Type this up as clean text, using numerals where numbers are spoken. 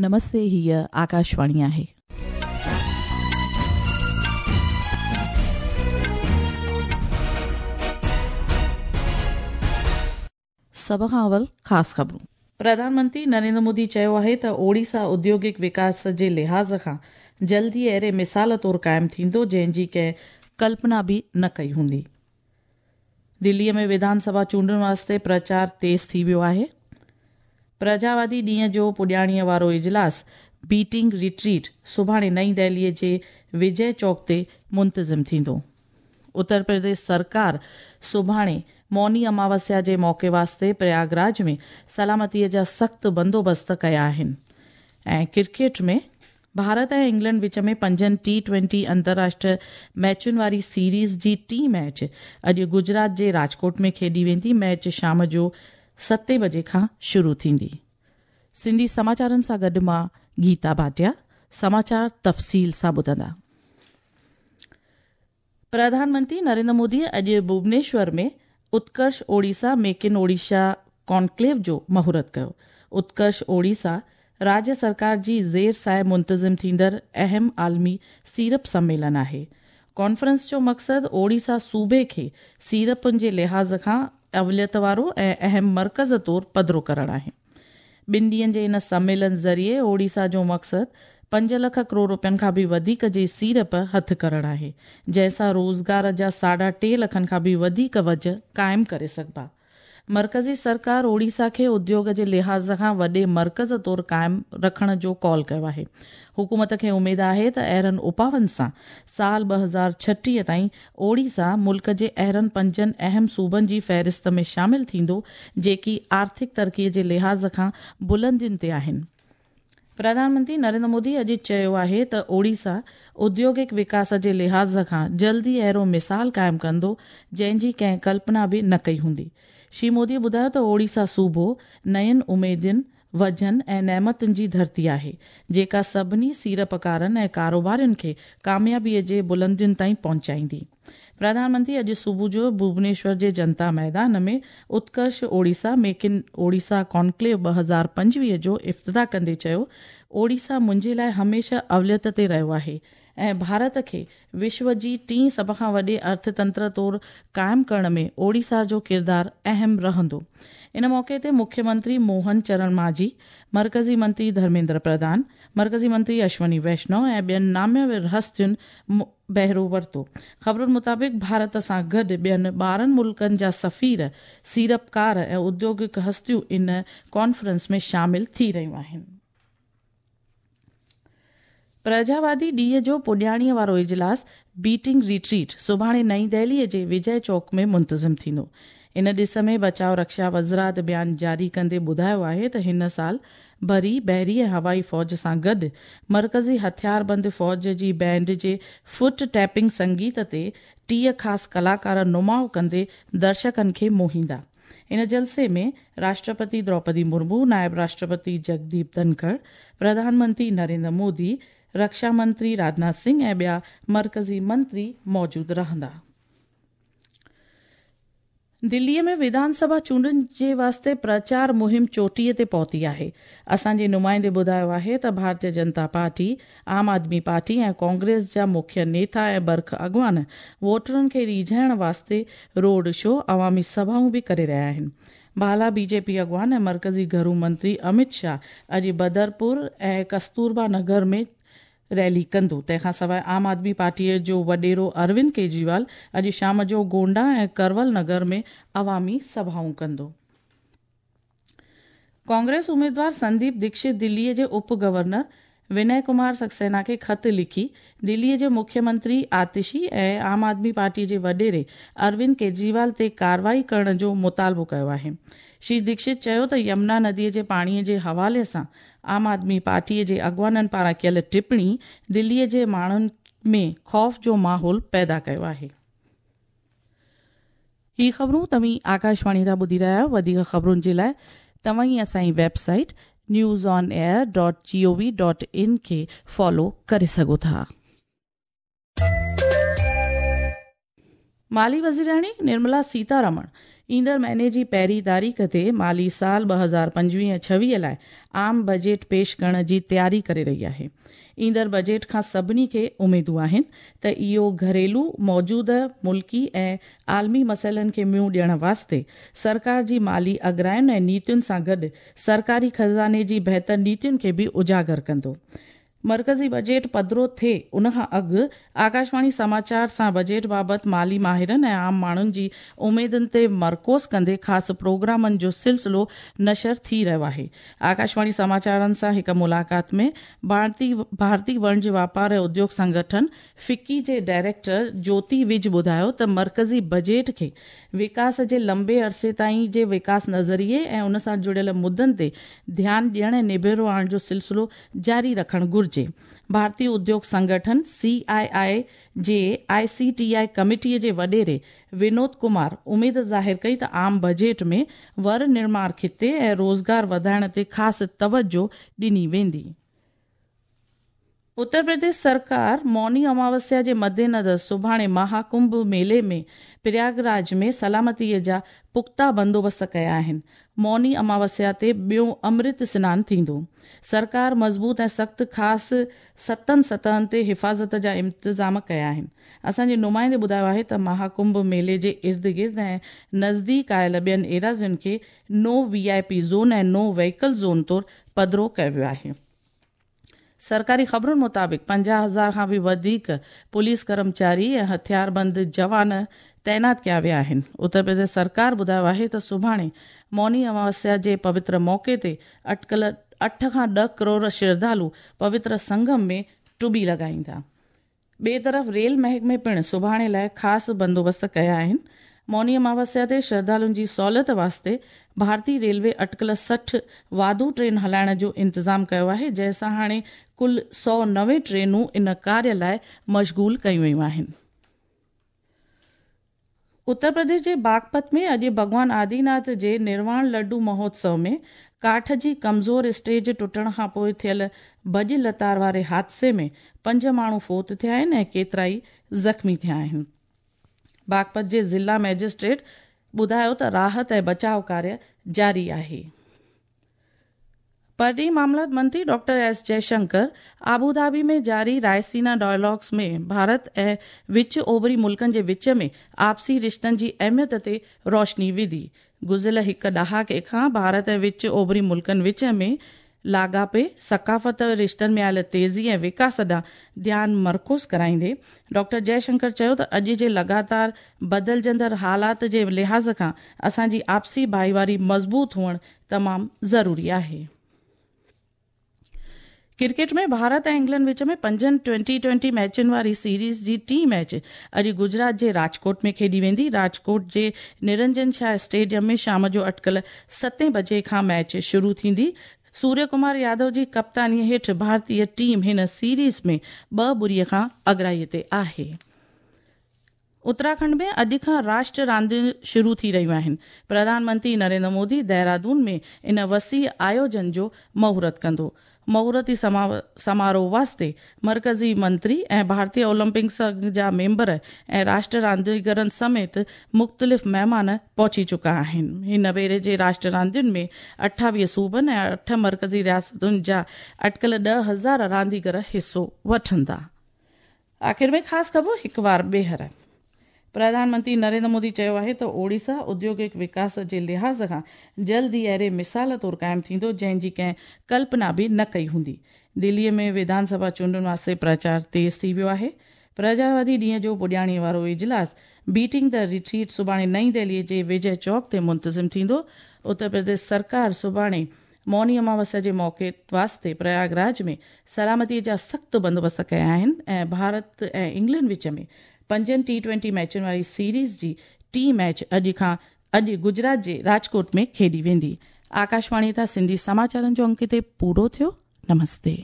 نمستي هيء آڪاشواڻي آهي. سڀ کان اول خاص خبرون. پرڌان منتري نريندر مودي چيو آهي ته اوڙيسا اديوگڪ وڪاس جي لحاظ کان جلدي اهڙي مثال طور قائم ٿيندو جنهن جي ڪنهن ڪلپنا به نه ڪئي هوندي. دلي ۾ وڌان سڀا چونڊن واسطي پرچار تيز ٿي ويو آهي. پرجاوادي ڏينهن جو پڄاڻيء وارو اجلاس بيٽنگ ريٽريٽ سڀاڻي نئين دهليء جي وجي چوڪ تي منتظم ٿيندو. اتر پرديش سرڪار سڀاڻي موني اماوسيا جي موقعي واسطي پرياگراج ۾ سلامتيء جا سخت بندوبست ڪيا آهن. ۽ ڪرڪيٽ ۾ ڀارت ۽ انگلينڊ وچ ۾ پنجن ٽي ٽوئنٽي انترراشٽريه ميچن واري سيريز جي ٽين ميچ اڄ گجرات جي راجڪوٽ ۾ کيڏي ويندي. ميچ شام جو ستين بجي کان شروع ٿيندي. سنڌي سماچارن سان گڏ مان گيتا ڀاٽيا سماچار تفصيل سان ٻڌندا. پرڌان منتري نريندر مودي اڄ ڀوونيشور ۾ اتڪرش اوڙيسا ميڪ ان اوڙيشا ڪانڪليو جو مهورت ڪيو. اتڪرش اوڙيسا راجيه سرڪار جي زير سايه منتظم ٿيندڙ اهم عالمي سيڙپ سميلن آهي. ڪانفرنس جو مقصد اوڙيسا صوبي کي سيڙپن جي لحاظ کان اوليت وارو ۽ اهم مرڪز طور پڌرو ڪرڻ آهي. ٻن ڏينهن جي ان سميلن ذريعي اوڙيسا جو مقصد 5 لک ڪروڙ روپين کان به وڌيڪ جي سيڙپ هٿ ڪرڻ آهي، جنهن سان روزگار جا 3.5 لکن کان به وڌيڪ وجهه قائم ڪري سگهبا. مرڪزي سرڪار اوڙيسا کي اديوگ جي لحاظ کان وڏي مرڪز طور قائم رکڻ جو ڪال ڪيو آهي. حڪومت کي اميد آهي ته اهڙن اپاون سان سال 2036 تائين اوڙيسا ملڪ جي اهڙن پنجن اهم صوبن جي فهرست ۾ شامل ٿيندو، جيڪي آرٿڪ ترقي جي لحاظ کان بلندين تي آهن. پرڌان منتري نريندر مودي اڄ چيو آهي ته اوڙيسا اديوگڪ وڪاس جي لحاظ کان جلدي اهڙو مثال قائم ڪندو جنهن جي ڪنهن ڪلپنا به نه ڪئي هوندي. شري مودي ٻڌايو ته اوڙيسا صوبو نين اميدن، وجهن ۽ نعمتن جي ڌرتي آهي، جيڪا سڀني سيڙپڪارن ۽ ڪاروبارين کي ڪاميابي جي بلندين تائين پهچائيندي. پرڌان منتري اڄ صبح جو ڀوونيشور جي جنتا ميدان ۾ اتڪرش اوڙيسا ميڪ ان اوڙيسا ڪانڪليو 2025 جو افتتاح ڪندي چيو، اوڙيسا منهنجي لاء هميشه اوليت تي رهيو آهي ۽ ڀارت کي وشو جي ٽين سڀ کان وڏي ارٿتنتر طور قائم ڪرڻ ۾ اوڙيسا جو ڪردار اهم رهندو. ان موقعي تي مکيه منتري موهن چرڻ ماجهي، مرڪزي منتري ڌرميندر پرڌان، مرڪزي منتري اشوني ويشنو ۽ ٻين ناميور هستين بهرو ورتو. خبرن مطابق ڀارت سان گڏ ٻين 12 ملڪن جا سفير، سيڙپڪار ۽ اديوگڪ هستيون ان ڪانفرنس ۾ شامل ٿي رهيون آهن. پرجاوادي ڏينهن جو پڄاڻيء وارو اجلاس بيٽنگ ريٽريٽ سڀاڻي نئين دهليء جي وجي چوڪ ۾ منتظم ٿيندو. ان ڏس ۾ بچاء رڪشا وزارت بيان جاري ڪندي ٻڌايو آهي ته هن سال بري، بحري ۽ هوائي فوج سان گڏ مرڪزي هٿياربند فوج جي بينڊ جي فٽ ٽيپنگ سنگيت تي 30 خاص ڪلاڪار نماء ڪندي درشڪن کي موهيندا. ان جلسي ۾ راشٽرپتي دروپدي مرمو، نائب راشٽرپتي جگديپ ڌنکڙ، پرڌان منتري نريندر مودي، رڪشا منتري راجناٿ سنگهه ۽ ٻيا مرڪزي منتري موجود رهندا. دليء ۾ وڌان سڀا چونڊن جي واسطي پرچار مهم چوٽيء تي پهتي آهي. اسان جي نمائندي ٻڌايو آهي ته ڀارتيه جنتا پارٽي، عام آدمي پارٽي ۽ ڪانگريس جا مکيه نيتا ۽ برک اڳواڻ ووٽرن کي ريجهائڻ واسطي روڊ شو، عوامي سڀائون به ڪري رهيا آهن. بالا بي جي پي اڳواڻ ۽ مرڪزي گهرو منتري امت شاهه اڄ بدرپور ۽ ڪستوربا نگر ۾ ريلي ڪندو. تنهن کان سواء عام آدمي پارٽيء جو وڏيرو اروند ڪيجريوال اڄ شام جو گونڊا ۽ ڪرول نگر ۾ عوامي سڀائون ڪندو. ڪانگريس اميدوار سنديپ ديڪشت دليء جي اپ گورنر ونئي ڪمار سڪسينا کي خط لکي دليء جي مکيه منتري آتشي ۽ عام آدمي پارٽيء جي وڏيري اروند ڪيجريوال تي ڪارروائي ڪرڻ جو مطالبو ڪيو آهي. شري ديڪشت چيو ته يمنا نديء جي پاڻيء جي حوالي سان عام آدمي پارٽيء جي اڳواڻن پاران ڪيل ٽپڻي دليء جي ماڻهن ۾ خوف جو ماحول پيدا ڪيو آهي. هي خبرون توهين آڪاشواڻي تان ٻڌي رهيا آهيو. وڌيڪ خبرن جي لاء توهين اسان جي website news on air dot G O V dot in کي فالو ڪري سگهو ٿا. مالي وزيراڻي نرملا سيتارمڻ ايندڙ مهيني جي پهرين تاريخ تي مالي سال 2025-26 لاء عام بجيٽ پيش ڪرڻ جي تياري ڪري رهي آهي. ايندڙ بجيٽ کان سڀني کي اميدون آهن ته اهو گهريلو، موجوده ملڪي ۽ عالمي مسئلن کي منهن ڏيڻ واسطي سرڪار جي مالي اڳراين ۽ نيتين سان گڏ سرڪاري خزاني جي بهتر نيتين کي به اجاگر ڪندو. مرڪزي بجيٽ پڌرو ٿئي ان کان اڳ آڪاشواڻي سماچار سان بجيٽ بابت مالي ماهرن ۽ عام ماڻهن جي اميدن تي مرڪوز ڪندي خاص پروگرامن جو سلسلو نشر ٿي رهيو آهي. آڪاشواڻي سماچارن سان هڪ ملاقات ۾ ڀارتي ڀارتي وڻج واپار ۽ اديوگ سنگٺن فڪي جي ڊائريڪٽر جوتي وج ٻڌايو ته مرڪزي بجيٽ کي وڪاس جي لمبي عرصي تائين جي وڪاس نظريي ۽ ان سان جڙيل مدن تي ڌيان ڏيڻ ۽ نبيرو آڻڻ جو سلسلو جاري رکڻ گهرجي. ڀارتي اديوگ سنگٺن، سي آء آء، جي آء سي ٽي آء ڪميٽي جي وڏيري ونود ڪمار اميد ظاهر ڪئي ته عام بجيٽ ۾ ور نرماڻ خطي ۽ روزگار وڌائڻ تي خاص توجهه ڏني ويندي. اتر پرديش سرڪار موني اماوسيا جي مدنظر سڀاڻي مها ڪنڀ ميلي ۾ پرياگ راج ۾ سلامتي جا پختا بندوبست ڪيا آهن. موني اماوسيا تي ٻيون امرت سنان ٿيندو. سرڪار مضبوط ۽ سخت خاص ستن سطحن تي حفاظت جا انتظام ڪيا آهن. اسان جي نمائندي ٻڌايو آهي ته مها ڪنڀ ميلي جي ارد گرد ۽ نزديڪ آيل ٻين ايراضين کي no V I P zone ۽ no vehicle zone طور پڌرو ڪيو ويو آهي. سرڪاري خبرن مطابق 50 هزار کان به وڌيڪ پوليس ڪرمچاري ۽ هٿياربند جوان تعينات ڪيا ويا آهن. اتر پرديش سرڪار ٻڌايو آهي ته سڀاڻي موني اماوسيا جي پوتر موقعي تي اٽڪل اٺ کان ڏهه ڪروڙ شرڌالو پوتر سنگم ۾ ٽٻي لڳائيندا. ٻئي طرف ريل محڪمي پڻ سڀاڻي لاء خاص بندوبست ڪيا آهن. موني اماوسيا تي شرڌالن جي سهولت واسطي ڀارتي ريلوي اٽڪل 60 واڌو ٽرين هلائڻ جو انتظام ڪيو آهي جنهن سان هاڻي ڪل 190 ٽرينون ان ڪاري لاء مشغول ڪيون ويون آهن. اتر پرديش جي باغپت ۾ اڄ ڀڳوان آديناٿ جي نرواڻ لڊو مهوتسو ۾ ڪاٺ جي ڪمزور اسٽيج ٽٽڻ کانپوء ٿيل ڀڄ لتاڙ واري حادثي ۾ پنج ماڻهو فوت ٿيا آهن ۽ ڪيترائي زخمي ٿيا آهن. باغپت جي ضلع مئجسٽريٽ ٻڌايو ته راحت ۽ بچاء ڪاريه جاري آهي. پرڏيهي معاملات منتري ڊاڪٽر ايس جئشنڪر ابوظهبي ۾ جاري رائسينا ڊائلاگس ۾ ڀارت ۽ وچ اوڀري ملڪن جي وچ ۾ آپسي رشتن جي اهميت تي روشني وڌي. گذريل هڪ ڏهاڪي کان ڀارت ۽ وچ اوڀري ملڪن وچ ۾ لاڳاپي، ثقافت، رشتن ۾ آيل تيزي ۽ وڪاس ڏانهن ڌيان مرڪوز ڪرائيندي ڊاڪٽر جئه شنڪر چيو ته اڄ جي لڳاتار بدلجندڙ حالات جي لحاظ کان اسان جي آپسي ڀائيواري مضبوط هئڻ تمام ضروري آهي. ڪرڪيٽ ۾ ڀارت ۽ انگلينڊ وچ ۾ پنجن ٽوئنٽي ٽوئنٽي ميچن واري سيريز جي ٽين ميچ اڄ گجرات جي راجڪوٽ ۾ کيڏي ويندي. راجڪوٽ جي نرنجن شاهه اسٽيڊيم ۾ شام جو اٽڪل ستين بجي کان ميچ شروع ٿيندي. سوريه ڪمار يادو جي ڪپتاني هيٺ ڀارتي ٽيم هن سيريز ۾ ٻه ٻڙي کان اڳرائي تي آهي. اتراکنڊ ۾ اڄ کان راشٽر رانديون شروع ٿي رهيون آهن. پرڌان منتري نريندر مودي دهرادون ۾ ان وسيع آيوجن جو مهورت ڪندو. مهورتي سماروهه واسطي مرڪزي منتري ۽ ڀارتي اولمپڪ سنگهه جا ميمبر ۽ راشٽر رانديگرن سميت مختلف مهمان پهچي چڪا آهن. هن ڀيري جي راشٽر راندين ۾ 28 صوبن ۽ اٺ مرڪزي رياستن جا اٽڪل 10,000 رانديگر حصو وٺندا. آخر ۾ خاص خبرون هڪ وار ٻيهر. پرڌان منتري نريندر مودي چيو آهي ته اوڙيسا اديوگڪ وڪاس جي لحاظ کان جلد ئي اهڙي مثال طور قائم ٿيندو جنهن جي ڪنهن ڪلپنا به نه ڪئي هوندي. دهلي ۾ وڌان سڀا چونڊن واسطي پرچار تيز ٿي ويو آهي. پرجاوادي ڏينهن جو پڄاڻي وارو اجلاس بيٽنگ the retreat سڀاڻي نئين دهلي جي وجي چوڪ تي منتظم ٿيندو. اتر پرديش سرڪار سڀاڻي موني اماوسيا جي موقعي واسطي پرياگ راج ۾ سلامتي جا سخت بندوبست ڪيا آهن ۽ ڀارت ۽ انگلينڊ وچ ۾ پنجن ٽي ٽوئنٽي ميچن واري سيريز جي ٽين ميچ اڄ کان اڄ گجرات جي راجڪوٽ ۾ کيڏي ويندي. آڪاشواڻي تان سنڌي سماچارن جو انڪ هتي پورو ٿيو. نمستي.